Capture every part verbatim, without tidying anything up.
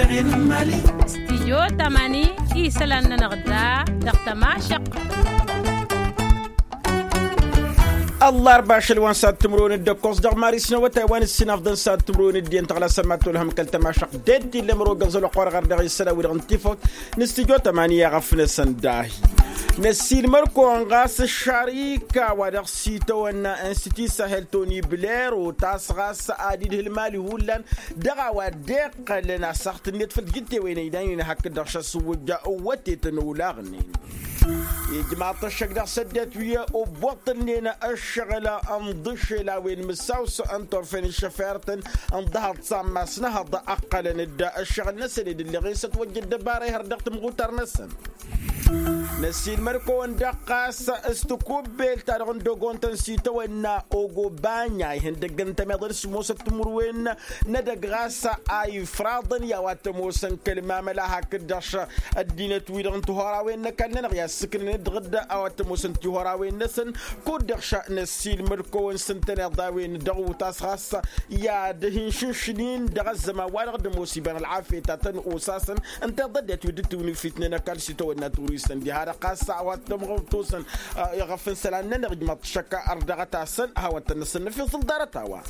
Stidyo tămani isălan-nănăɣ da dăɣ-tămašăq. Ăllarba ašăl wa n-sad timǝrwen d-ăkkoẓ dăɣ-maris n-awătay wa n-ǝssin afḍăn sad timǝrwen d-iyyăn tăɣlasăn ma tolhăm kăl-tămašăq. Dd-illăm roga zăloqor ɣăr dăɣ-isălan wi-dăɣ n-tifăwt n-stidyo tămani i-aɣăf-năsăn dahi. Năsiilmăr-kăwăn ɣas ăššarika wa dăɣ-s itawănna institut sahel toni bler otas ɣas ad-idhǝl mali hullan dăɣ-a-wa dd-iqqălăn asăɣt-net făll-tijǝttewen ăynaynen hakd-dăɣ šăssuwǝjja ăwwătetăn olaɣnen. Ijmaḍ-t ăššăk dăɣ-săddinăt wi ăbbuṭṭǝlnen ăššăɣǝl n-iḍǝšel a-wen mǝssaw-s n-turfen ǝššăfertăn n-ḍahăḍ s-ammas n-ehăḍ ăqqălăn-dd ăššăɣǝl-năsăn ed ǝlleɣ-en s-ătwăjja ăddăbara ihăr dăɣ-tǝmɣutar-năsăn. Năsiilmăr-kăwăn-dăɣ ɣas s-tikubbelt ta dăɣ-n dogont n-sitawănna ogobanya ihăndăgg n-tămeḍăl s-ămoosăt timǝrwen n-edăgg ɣas a ifraḍăn i-a-wa t-ămoosăn kăl-mamăla hakd-dăɣ š-ăddinăt-wi-dăɣ n-tihorawen n-ăkall-nănăɣ i-assǝknăn-dd dăɣ-dd a-wa t-ămoosăn tihorawen-năsăn. Kud-dăɣ š-năsiilmăr-kăwăn s-ǝntăneḍ a-wen dăɣ-utas ɣas i-ad-hin-šǝnšǝn-in dăɣ-ăzzăman wa dăɣ-dd-ămoos iba n-ălɣafyăt a tăn-osasăn ǝnta i-ḍăddiyăt wi dd-tǝwǝnǝfitnen ăkall s-itawănna turistăn diha-dăɣ ɣas a-wa t-ămɣăwtosăn. Iɣăf n-isălan-nănăɣ ijmaḍ-t šăkk ar dăɣ-ătasăn hawăn-tăn-năsănnăf i-făl ḍarăt-a-wa.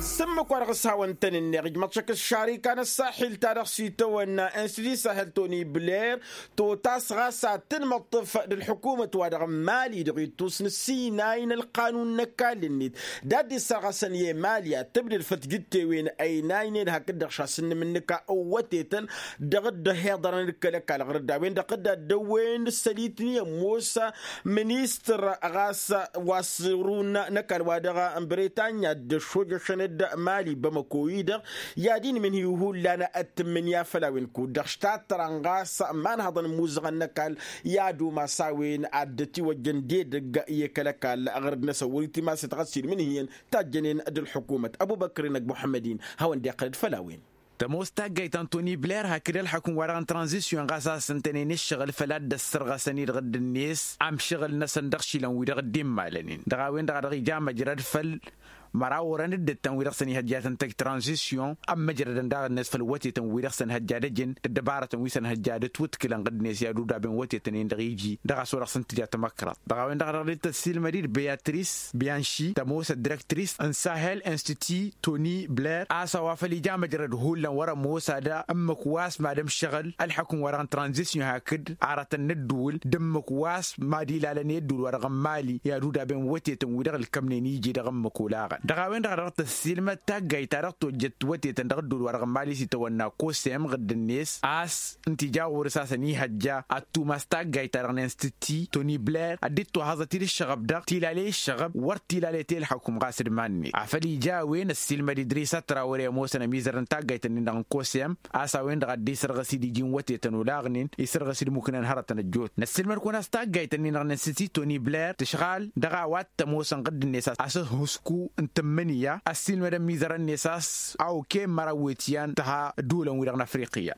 S-ǝmmǝk wa dăɣ-s hawăn-tăn-ǝnneɣ ijmaḍ-t šăkk s-šarika n-ăṣṣaḥil ta dăɣ-s itawănna institut sahel toni bler totas ɣas ad-tǝnmăṭṭǝf d-ălḥukumăt wa dăɣ-n mali dăɣ-ittus n-ăssinay n-ălqanun n-ăkall-net d-ad-dd-issărɣăsăn i-mali ad-tǝbdǝl făll-tijǝttewen ăynaynen hakd-dăɣ šasǝnnǝm n-nǝka ăwwătetăn dăɣ-dd-ăhiḍărăn d-kăl-ăkall ɣur-dd a-wen-dăɣ dd-addăwwen s-sălitni ămoos ministăr ɣas wa s-ărun n-ăkall wa dăɣ-bretanya dd-ăššojăšăn d-mali bamăko-i-dăɣ i-ad-inmǝnhǝy hullan ad-tǝmmǝnǝya făll-a-wen kud-dăɣ štattărăn ɣas ma n-hăḍăn ămmuzăɣăn n-ăkall i-ad-umas a-wen ad-dd-ătiwăjjăn d-edăgg i-kăl-ăkall ɣur-dd-năsăn wăr-itimasăt ɣas ilmǝnhǝyăn tajjănen d-ălḥukumăt ăbubăkr-i n-ăgg muḥămmăd-in hawăn-dd-iqqăl d-făll-a-wen. Tămoos taggayt ta n-toni bler hakd ălḥukǝm wa dăɣ-n tranzisyon ɣas a-s ǝntănen ǝššăɣǝl făll-ad-dd-ăssărɣăsăn-i dăɣ-dd-net amšăɣǝl-năsăn dăɣ-išilan wi dăɣ-dd-immalănen dăɣ-a-wen-dăɣ a dăɣ-ija măjrăd făll-măraw orăn dd-ǝttăn wi dăɣ-săn ihăjja tăn-tăj tranzisyon ămmăjrădăn daɣ-net făll-wătetăn wi dăɣ-săn hăjja d-ejăn d-ăbarătăn wi săn hăjja d-ătwǝtkǝlăn ɣǝddǝnet i-ad-udaben wătetăn-in-dăɣ iji dăɣ-a-s wa dăɣ-săn tǝja tămăkraḍt dăɣ-a-wen-dăɣ a dăɣ-dd-tăssiilmăd-dd beatrice bianši tămoos ăddirăktris n-sahel institut toni bler a-s a-wa făl ija măjrăd hullan wăr-ămoos ad-ămmǝk wa s-mad-ămšăɣǝl ălḥukǝm wa dăɣ-n tranzisyon hakd aratăn n-ǝddǝwǝl d-ǝmmǝk wa s-mad-ilalăn i-ǝddǝwǝl wa dăɣ-n mali i-ad-udaben wătetăn wi-dăɣ ǝlkămnen iji dăɣ-ǝmmǝk olaɣăn dăɣ-a-wen-dăɣ a dăɣ-tăssiilmăd taggayt ta dăɣ-tojjăt wătetăn dăɣ-ǝddǝwǝl wa dăɣ-n mali s-itawănna kosem ɣǝddǝn-net a-s ǝnta ija ɣur-s a-s ănihăjja ad-tumas taggayt ta dăɣ-n institut toni bler ad-dd-tohăẓăt-dd ǝššăɣăb-dăɣ tilaley ǝššăɣăb wăr tilaley ti ǝlḥăkum ɣas d-iman-net afăl ija a-wen ăssiilmăd idris ătrawăre ămoosăn ămizăr n-taggayt-nin-dăɣ n-kosem a-s a-wen-dăɣ a dd-isărɣǝs-dd iji n-wătetăn olaɣnen isărɣǝs-dd mukǝnăn hărătăn ăjjootnen ăssiilmăd-kăwăn a-s taggayt-nin-dăɣ n-institut toni bler tǝšɣal dăɣ-a-wa t-ămoosăn ɣǝddǝn-net a-s ăhhusku n-tǝmmǝnǝya ăssiilmăd ămizărăn-net a-s a okăyăn măraw wet iyyăn tǝha ădduulăn-wi-dăɣ n-afriqya.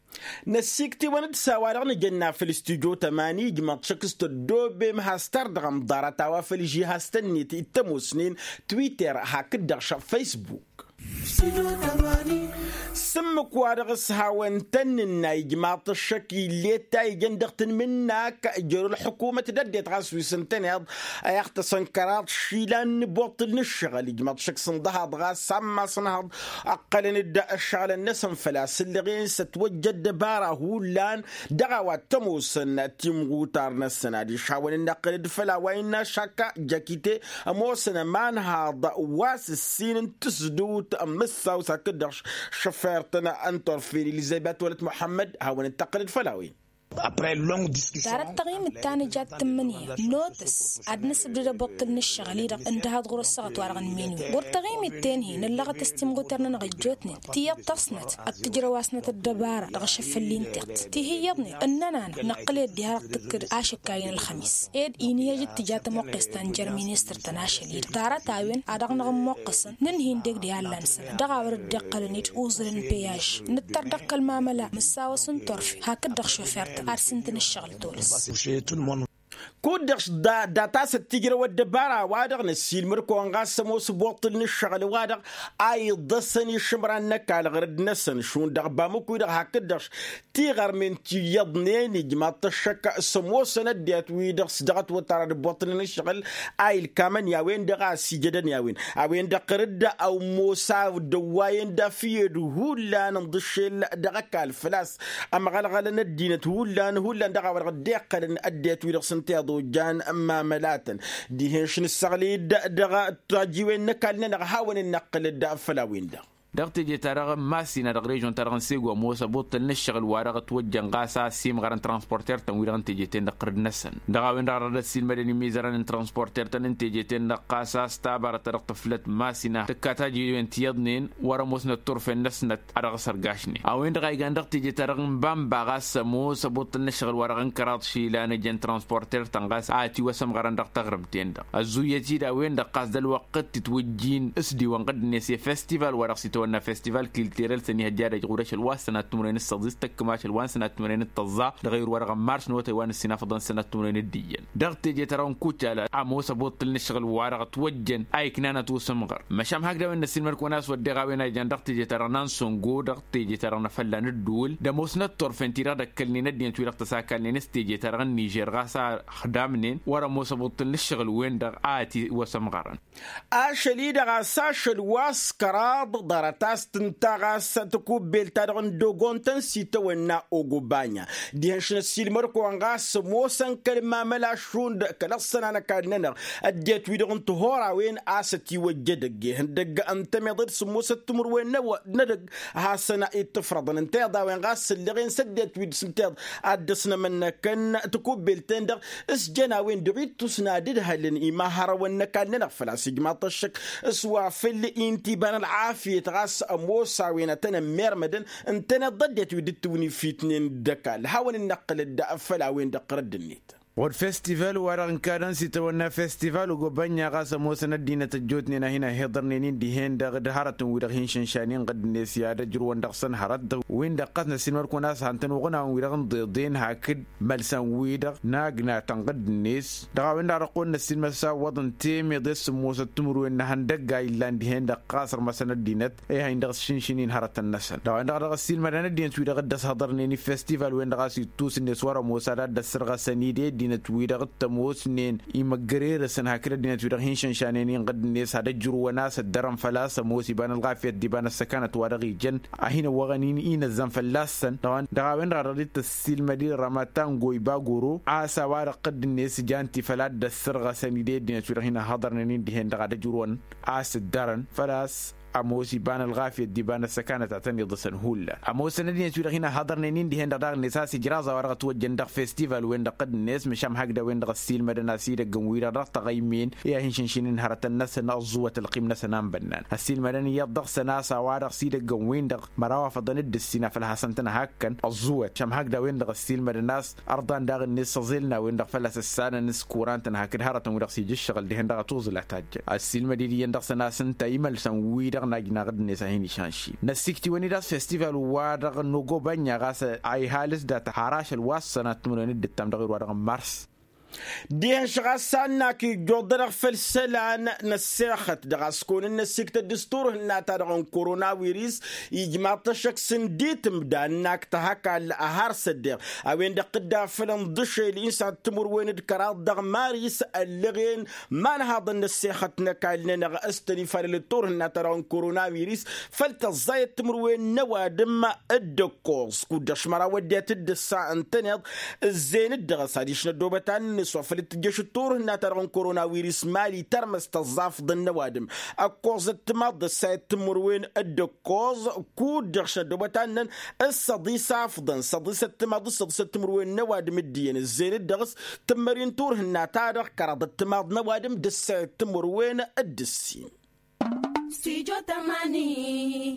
Năssiiktiwăn-dd s-a-wa-dăɣ nǝjănna făll-studyo tămani ijmăḍ šăkk s-tăddoobem has-tardăɣăm ḍarăt a-wa făll-ižihaz-tăn-net i-t-ămoosnen twitter hakd-dăɣ šăɣ facebook. S-ǝmmǝk-wa-dăɣ s-hawăn-tăn-nǝnna ijmaḍ-t ăššăk ill'-e ta ijăn dăɣ-tǝnmǝnnak jer-ălḥukumăt d-ăddinăt ɣas wi s-ǝntăneḍ a iɣtăsăn kăraḍ išilan n-iboṭṭǝl n-ǝššăɣǝl ijmaḍ-t ăššăk s-ǝnḍăhaḍ ɣas ammas n-ehăḍ ǝqqălăn-dd ăššăɣǝlăn-năsăn făl-a-s ǝllăɣen s-ătwăjja ăddăbara hullan dăɣ-a-wa t-ămoosăn timɣutar-năsăn adiš hawăn-dd-năqqǝl-dd făll-a-wa innă šakka jăkite ămoosăn ămanhaḍ wa s-ǝssin n-tǝsdǝwt n-imǝssaw s-hakd-dăɣ šăfert n-turfen elizăbet wălăt muḥămmăd hawăn-dd-tăqqǝl-dd făll-a-wen. Darăt taɣimit ta nǝja d-tǝmmǝnǝya n-otǝs ad-nǝsǝbdǝd ăboṭṭǝl n-ǝššăɣǝl-i-dăɣ ǝndăhaḍ ɣur-ăssaɣăt wa dăɣ-nǝmmenǝwen wăr taɣimit tenhi nǝllăɣăt-ăs timɣutăr-nănăɣ ăjjootnen tiyyăḍ tăsnăt ad-tǝjrăw-asnăt ăddăbara dăɣ-ašăffăl n-tiɣt ti hi-iyyăḍnen ǝnnăn-anăɣ năqqǝl-ed diha-dăɣ tǝkkǝd ašǝkka-in ălxămis ed inǝyăj d-tǝja tămoqqes ta n-jer-ministăr tăn-ašăl-i-dăɣ ḍarăt-a-wen a dăɣ-năɣ-ămmoqqăsăn nǝnhǝy n-deg d-ihăllan-săn dăɣ-a wăr dd-iqqălăn-dd uẓǝl n-peyaj nǝttăr dăɣ-kăl-mamăla mǝssaw-s n-turfe hakd-dăɣ šofert ar s-ǝntǝn ǝššăɣǝl tolăs. Kud-dăɣ s-data s-ătijrăw ăddăbara-wa-dăɣ năssiilmăd-kăwăn ɣas ămoos ăboṭṭǝl n-ǝššăɣǝl-wa-dăɣ a iḍăsăn išǝmran n-ăkall ɣărăd-năsăn šund dăɣ-bamǝk wi-dăɣ hakd-dăɣ tiɣărmen ti iyyăḍnen ijmaḍ-t ăššăk s-ămoosăn ăddinăt-wi-dăɣ s-dăɣ-ătwăttara d-ăboṭṭǝl n-ǝššăɣǝl a ilkamăn i-a-wen-dăɣ a ăsijădăn i-a-wen. A-wen-dăɣ ɣărăd ămoos a dăwwayăn d-afǝyyed hullan ǝnḍǝššel dăɣ-ăkall făl-a-s ămɣălɣălăn ăddinăt hullan hullan dăɣ-a-wa-dăɣ dd-iqqălăn ăddinăt-wi-dăɣ s-ǝnta iḍojan mamălatăn. Dihen-š nǝssăɣli-dd dăɣ-tajjiwen n-ăkall-nănăɣ hawăn-dd-năqqǝlăd făll-a-wen-dăɣ. Dăɣ-teje-ta-dăɣ n-masina dăɣ-režon-ta-dăɣ n-sego ămoos ăbuṭṭǝl n-ǝššăɣǝl wa-dăɣ ătwăjjăn ɣas a ăssiimɣărăn transporter-tăn wi-dăɣ n-teje-ten-dăɣ ɣărăd-năsăn dăɣ-a-wen-dăɣ dăr-dd-ăssiilmădăn imizărăn n-transporter-tăn n-teje-ten-dăɣ ɣas a-s tabarăt ta dăɣ-tǝflăt masina tǝkka tajjiwen ti iyyăḍnen wăr-ămoosnăt turfen-năsnăt a dăɣ-s ărgašnen. A-wen-dăɣ a igan dăɣ-teje-ta-dăɣ n-bamba ɣas ămoos ăbuṭṭǝl n-ǝššăɣǝl wa-dăɣ n-kăraḍ išilan ǝjăn transporter-tăn ɣas a ătiwăsămɣărăn dăɣ-taɣrǝmt-en-dăɣ ăzzuyyăt-dd a-wen-dăɣ ɣas d-ălwăqq t-itwǝjjin s-diwăn ɣǝddǝnet i-festival wa dăɣ-s itawănna festival kiltirel s-ănihăjja ad-ăj ɣur-ašăl wa s-sănat timǝrwen s-săḍis tăkkǝm ašăl wa n-sănat timǝrwen d-tăẓẓa dăɣ-ayǝr wa dăɣ-n mars n-otăy wa n-ǝssin afḍăn sănat timǝrwen d-iyyăn. Dăɣ-teje-ta-dăɣ n-kucala ămoos ăbuṭṭǝl n-ǝššăɣǝl wa dăɣ-ătwăjjăn a iknan ătusǝmɣăr măšan hakd a-wen n-ăssiilmăd-kăwăn a-s wădden a-wen a ijan dăɣ-teje-ta-dăɣ n-ansongo dăɣ-teje-ta-dăɣ n-afălla n-ăddǝwǝl d-ămoosnăt turfen-ti-dăɣ d-ăkkălnen ăddinăt-wi-dăɣ tăsakalnen s-teje-ta-dăɣ n-nižer ɣas a ăxdamnen wăr-ămoos ăbuṭṭǝl n-ǝššăɣǝl-wen-dăɣ a ătiwăsămɣărăn. Ašăl-i-dăɣ a-s ašăl wa s-kăraḍ ḍarăt a-s tǝnta ɣas takubbelt-ta-dăɣ n-dogon-tăn s-itawănna ogobanya dihen-š năssiilmăd-kăwăn ɣas ămoosăn kăl-mamăla šund kăl-ăṣṣăna n-ăkall-nănăɣ ăddinăt-wi-dăɣ n-tihurawen a-s ătiwăjja edăgg ihăndăgg ǝnta ămiḍe d-sǝmmosăt timǝrwen n-edăgg hasăn-ittǝfrăḍăn ǝnta iḍa a-wen ɣas ǝlleɣen s-ăddinăt-wi-dăɣ s-ǝnta iḍa ad-dd-ăsnămănnăkăn takubbelt-ten-dăɣ s-jăn a-wen-dăɣ ittus n-ad-ǝdhălăn imahărăwăn n-ăkall-nănăɣ făl-a-s ijmaḍ-t ăššăk s-wa făll-inta iba n-ălɣafyăt ɣas ămoos a-wen ad-tăn-ămmermădăn ǝntăneḍ d-ăddinăt wi dd-tiwǝnifitnen d-ăkall hawăn-dd-năqqǝlăd făll-a-wen-dăɣ ɣărădd-net. Ɣur-festival-wa-dăɣ n-kadăn s-itawănna festival ugobănna ɣas ămoosăn ăddinăt ăjjootnen a hin-ăhhiḍărnen-in dihen-dăɣ d-hărătăn-wi-dăɣ hin-šănšanen ɣǝdd-net i-ad-ăjrǝwăn dăɣ-săn hărăt-dăɣ win-dăɣ ɣas năssiilmăd-kăwăn a-s han-tăn-uɣǝnawăn wi-dăɣ n-iḍeḍen hakd mălsan-wi-dăɣ n-agnatăn ɣǝdd-net. Dăɣ-a-wen-dăɣ a dăɣ-kăwăn-năssiilmăd s-a ǝwwăḍăn temăḍe s-sǝmmosăt timǝrwen n-ihăndăgg a illan dihen-dăɣ ɣas ărmăsăn ăddinăt i-ad-hin-dăɣ-ăššǝnšǝn-in hărătăn-năsăn dăɣ-a-wen-dăɣ a dăɣ-ăssiilmădăn ăddinăt-wi-dăɣ dd-ăshăḍărnen i-festival-wen-dăɣ a-s ittus-net wăr-ămoos ad-dd-ăssărɣăsăn-dd i-ăddinăt-wi-dăɣ t-ămoosnen imăggărer-săn hakd ăddinăt-wi-dăɣ hin-šănšanen-in ɣǝdd-net ad-ăjrǝwăn-as ăddărăn făl-a-s ămoos iba n-ălɣafyăt d-iba n-ăssăkanăt wa dăɣ-ijăn a hin-ăwwăɣăn-in inăzzăn fălla-săn. Dăɣ-a-wen-dăɣ a dăɣ-dd-tăssiilmăd-in rămătango iba goro a-s a-wa-dăɣ ɣǝdd-net jan ti făl ad-dd-ăssărɣăsăn-dd i-ăddinăt-wi-dăɣ hin-ăhhăḍărnen-in dihen-dăɣ ad-ăjrǝwăn a-s ǝddărăn făl-a-s ămoos iba n-ălɣafyăt d-iba n-ăssăkanăt a tăn-iḍǝsăn hullan ămoosăn ăddinăt-wi-dăɣ hin-ăhhăḍărnen-in dihen-dăɣ daɣ-net a-s ijraẓ a-wa-dăɣ ătwăjjăn dăɣ-festival-wen-dăɣ ɣǝdd-net măšan hakd a-wen-dăɣ ăssiilmădăn a-s idăggăn-wi-dăɣ dăɣ-taɣăymen i-ad-hin-šǝnšǝn-in hărătăn-năsăn ăẓẓuwăt ălqim-năsăn a n-bănnan ăssiilmădăn iyyăḍ dăɣ-săn a-s a-wa-dăɣ s-idăggăn-win-dăɣ măraw afăḍăn d-ǝssin a făl hasăn-tăn-hakkăn ăẓẓuwăt măšan hakd a-wen-dăɣ ăssiilmădăn a-s ărḍan daɣ-net s-aẓel n-a-wen-dăɣ fălla-s ăssanăn s-kurantăn hakd hărătăn-wi-dăɣ s-ija ǝššăɣǝl dihen-dăɣ ătuẓǝl a tajjăn ăssiilmăd-dd iyyăn dăɣ-săn a-s ǝnta imălsăn-wi-dăɣ n-ajnaɣ dd-net a hin-išanši. Năssikt'-iwăn-dd a-s festival-wa-dăɣ n-ogobănna ɣas a ihalǝs data har ašăl wa s-sănat timǝrwen d-ǝttam dăɣ-erwa-dăɣ n-mars. Dihen-š ɣas a ǝnnak ijjuḍ-dăɣ făll-isălan n-ăssexăt dăɣ-a-s kăwăn-năssiktăt d-s turhǝnna-ta-dăɣ n-koronawiris ijmaḍ-t ăššăk s-ǝnditǝm d-a ǝnnak tăhăkall ăhar s-ăddeɣ a-wen-dăɣ t-dd-afălăn d-ašel insat timǝrwen d-kăraḍ dăɣ-maris ăllăɣen imanhaḍăn n-ăssexăt n-ăkall-nănăɣ s-tăn-ifalăl d-turhǝnna-ta-dăɣ n-koronawiris făll-tăẓẓayăt timǝrwen n-ăwadǝm d-ǝkkoẓ kud-dăɣ šmăraw ăddinăt d-ǝssa ǝntăneḍ ǝzzeyăn-dd dăɣ-s adiš n-ăddoobăt ad-nǝnǝs wa făl t-tǝjjăš d-turhǝnna-ta-dăɣ n-koronawiris mali tărmăs tăẓẓafḍăn n-ăwadǝm ǝkkoẓăt timaḍ d-ăssayăt timǝrwen d-ǝkkoẓ kud-dăɣ š-ăddoobăt ad-năn s-săḍis afḍăn săḍisăt timaḍ d-săḍisăt timǝrwen n-ăwadǝm d-iyyăn ǝzzeyăn-dd dăɣ-s tǝmmări n-turhǝnna-ta-dăɣ kăraḍăt timaḍ n-ăwadǝm d-ǝssayăt timǝrwen d-ǝssin.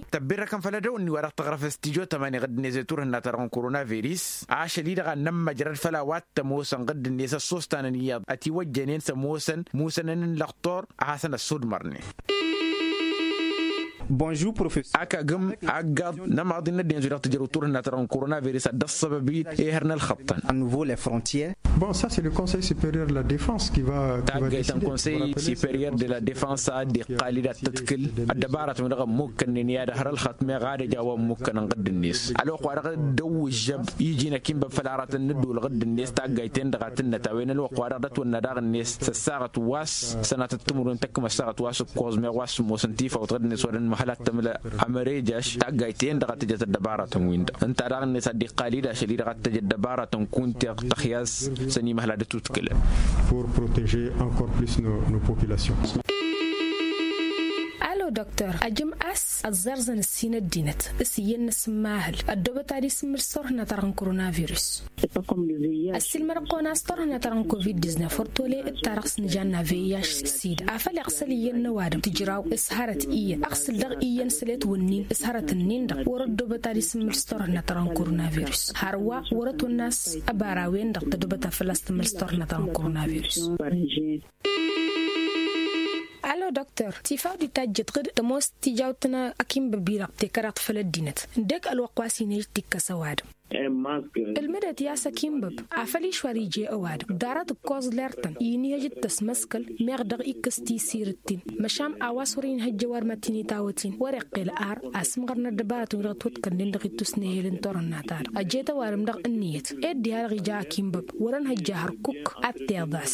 Tăbbirrăkăn făll-edăwănni wa dăɣ-tăɣrăf s-tijo tămani ɣǝdd-net i-turhǝnna-ta-dăɣ n-koronaviris ašăl-i-dăɣ a n-nămmăjrăd făll-a-wa t-ămoosăn ɣǝdd-net ăssostanăn iyyăḍ ătiwăjjănen s-ămoosăn musănăn n-lăxtor ad-hasăn-ăssudmărnen. Bonjour professor. Akagăm aggaḍ n-amaḍin n-ăddinăt wi-dăɣ tǝjrăw turhǝnna ta dăɣ-n koronavirus ad-dd-ăṣṣăbăb-in. Ehăr n-ălxăṭṭăn. Bon, ça c'est le conseil supérieur de la défense qui va. Taggayt n-conseil supérieur de la défense a dd-iqqal-dd ad-tǝḍkǝl ăddăbaratăn wi-dăɣ ămmukkănnen i-ad-hărălxăt meɣ ad-ăj a-wa ămmukkăn n-ɣǝdd-net. Ălwăqq-wa-dăɣ dd-ăwwǝžžăb iji n-akinbăb făll-aratăn n-ǝddǝwǝl ɣǝdd-net taggayt-en-dăɣ a tǝnnăt a-wen ălwăqq-wa-dăɣ d-ătwănna daɣ-net s-ăssaɣăt wa s-sănatăt timǝrwen tăkk măssaɣăt wa s-ǝkkoẓ meɣ wa s-sǝmmos n-tifawt ɣǝdd-net wăren măhălat tămla. Amărejaš taggayt-en-dăɣ a tǝjăt ăddăbaratăn-win-dăɣ ǝnta daɣ-net a dd-iqqal-dd ašăl-i-dăɣ ad-t-tăj ăddăbaratăn kunteɣ tăxyas s-ănimăhla d-atutkǝlăn. Pour protéger encore plus nos populations. Alo doktor ajăm a-s ăẓẓerẓăn ǝssin ăddinăt s-iyyăn n-asǝmmahǝl ăddoobăt ad-isǝmmǝl s-turhǝnna ta dăɣ-n koronavirus. Ăssiilmăd ăqqoon a-s turhǝnna ta dăɣ-n covid-diznef wăr tole d-ta-dăɣ s-nǝjanna vih-sida afăl iɣsăl iyyăn n-ăwadǝm tǝjraw s-hărăt iyyăn ăɣsǝl dăɣ-iyyăn săl i-ătwǝnnin s-hărăt-nin-dăɣ wăr-ăddoobăt ad-isǝmmǝl s-turhǝnna ta dăɣ-n koronavirus. Hărwa wăr-ătwănna a-s ăbarawen-dăɣ tăddoobăt ad-fălla-s tǝmmǝl s-turhǝnna ta dăɣ-n koronavirus. Alo doktor tifaw d-itajjăt ɣǝd tămoos tijawt n-akinbăbi-dăɣ tekăraḍt făll-ăddinăt ǝndek ălwăqq wa s-inhăj tikkăs ăwadǝm. Ǝlmǝdăt i-a-s akinbăb afăl išwar ije ăwadǝm ḍarăt ǝkkoẓ lertăn inhăj d-tăsmăskăl meɣ dăɣ-ikkǝs tisirǝt-tin. Măšan a-wa s-wăr-inhăjj ăwadǝm ad-t-in-i tawăt-in wăr-iqqel ar asǝmɣăr n-ăddăbarătăn wi dăɣ-ătwăḍkălnen dăɣ-ittus n-ehel n-turhǝnna-ta-dăɣ ăjet ăwadǝm dăɣ-ǝnniyăt. Ed diha-dăɣ ija akinbăb wăr-ănhăjja hărkuk ad-t-iḍas.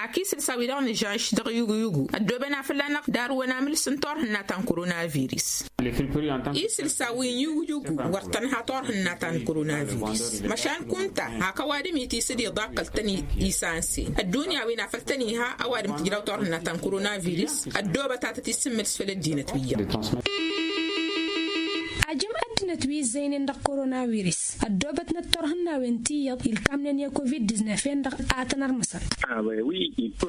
Ak isǝlsa-wi-dăɣ nǝžănš dăɣ-yugu-yugu ăddooben a fălla-năɣ darǝwăn amǝls n-turhǝnna ta n-koronavirus. Isǝlsa-wi n-yugu-yugu wăr tănha turhǝnna ta n-koronavirus. Măšan kunta hak ăwadǝm itisǝd iḍakkăl-tăn isansen ăddunya-win a făl tăn-iha ăwadǝm tǝjraw turhǝnna ta n-koronavirus. Ăddoobăt ad-tăt isǝmmǝl s-făll-ăddinăt wi iyyăḍ. Ajăm ăddinăt wi ǝzzăynen dăɣ-koronavirus ăddoobătnăt turhǝnnawen ti iyyăḍ ilkamnen i-covid-diznef-en-dăɣ a tăn-ărmǝsăn.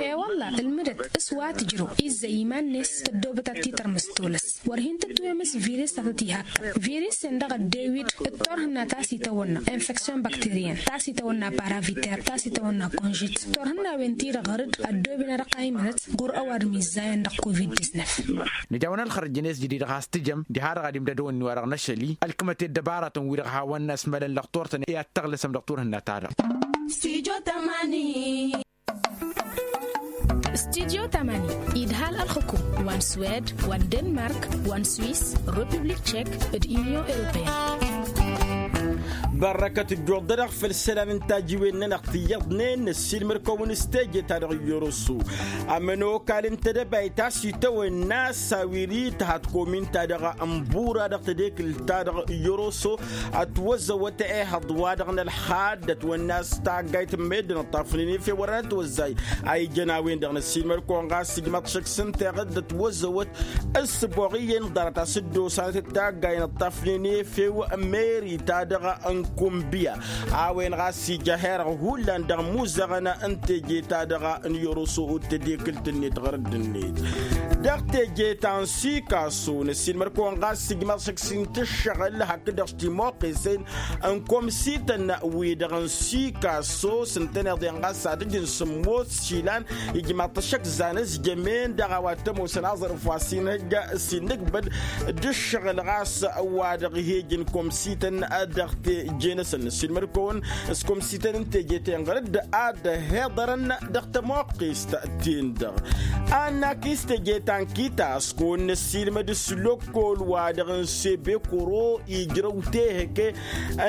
E-wălla ǝlmǝdăt s-wa tǝjrăw izzăy iman-net tăddoobăt ad-t-tărmǝs tolăs. Wăr hin-tǝtwemǝs virus ta tăt-ihakkăn virus-en-dăɣ ăddewid d-turhǝnna ta s-itawănna infection bacterienne ta s-itawănna paraviter ta s-itawănna conjit. Turhǝnnawen-ti-dăɣ ɣăr-dd ăddooben ad-ăqqaymănăt ɣur-ăwadǝm izzayăn dăɣ-covid-diznef. Nǝja-wăn ălxărăj-net jădid ɣas tǝjăm diha-dăɣ ad-imdădăwăn-ni-wa-dăɣ n-ašăl-i ălkǝmăt i-ăddăbaratăn-wi-dăɣ hawăn-asmălăn dăɣ-turtăn i-ad-tăɣlăsăm dăɣ-turhǝnna-ta-dăɣ. Stujo tamani. Stujo tamani idhal ălxǝkum wa n-swed wa n-denmark wa n-swis, republik tchek d-union européenne. Bărrăkăt ǝjjuḍ-dăɣ făll-isălan n-tajiwen-nănăɣ tiyyăḍnen năssiilmăd-kăwăn s-teje-ta-dăɣ n-yoroso. Ămănokal n-tedăbayt a-s itawănna s-a-wi d-tăha tikomin-ta-dăɣ n-bura dăɣ-tedekǝlt-ta-dăɣ n-yoroso. Ătwăzăwăt ehăḍ-wa-dăɣ n-ălxad ătwănna s-taggayt n-meddǝn ǝṭṭafnen efew wărăn ătwăzzay. A ijăn a-wen-dăɣ năssiilmăd-kăwăn ɣas ijmaḍ šăkk s-ǝnta iɣǝd ătwăzăwăt. S-ǝboɣ iyyăn ḍarăt a-s dd-osanăt d-taggay n-ǝṭṭafnen efew meri-ta-dăɣ n-kumbǝya. A-wen ɣas ija herăɣ hullan dăɣ-imuzăɣăn n-teje-ta-dăɣ n-yoroso d-tedekǝlt-net ɣărădd-net. Dăɣ-teje ta n-sikaso năssiilmăd-kăwăn ɣas ijmaḍ šăkk s-intǝššăɣǝl hakd-dăɣ s-timoqqesen n-komsităn-wi-dăɣ n-sikaso s-ǝntăneḍ-en ɣas ad-ǝjǝn sǝmmos išilan. Ijmaḍ-t ăššăk zan ăzjămen dăɣ-a-wa t-ămoosăn aẓrǝf wa s-inhăjja s-innǝkbăd d-ǝššăɣǝl ɣas wa dăɣ-ih'-ejăn komsităn dăɣ-teje-năsăn năssiilmăd-kăwăn s-komsităn n-teje-ten ɣăr-dd ad-ăhiḍărăn dăɣ-tămoqqest-ten-dăɣ. Annak-i s-teje ta n-kita s-kăwăn-năssiilmăd s-lăkkol wa dăɣ-n sebekoro ijrăw tehăke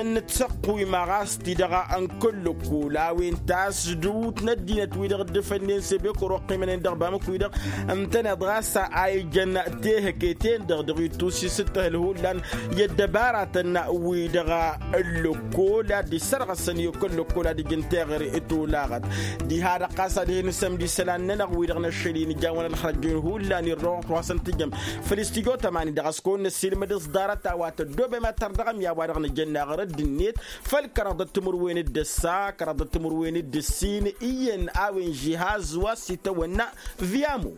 n-tăqquyma ɣas ti-dăɣ n-kăl-lăkkol a-wen tasdǝwt n-ăddinăt-wi-dăɣ dd-fănnen sebekoro ăqqimănen dăɣ-bamǝk-wi-dăɣ ǝntăneḍ ɣas a ijăn tehăke-ten-dăɣ dăɣ-ittus isǝttăhǝl hullan i-ăddăbaratăn wi-dăɣ n-lăkkol ad-dd-issărɣăsăn i-kăl-lăkkol ad-ijăn teɣăre tolaɣăt. Diha-dăɣ ɣas ad-hin-isămd isălan-nănăɣ wi-dăɣ n-ašăl-i nǝjawăn ălxărăjjun hullan irrăwăɣ-t wa s-ăntǝjăm făll-istijo tămani-dăɣ a-s kăwăn-năssiilmăd s-ḍarăt a-wa tăddobem ad-tărdăɣăm i-a-wa-dăɣ nǝjănna ɣărădd-net. Făll-kăraḍăt timǝrwen d-ǝssa kăraḍăt timǝrwen d-ǝssin iyyăn a-wen žihaz wa s-itawănna viamo.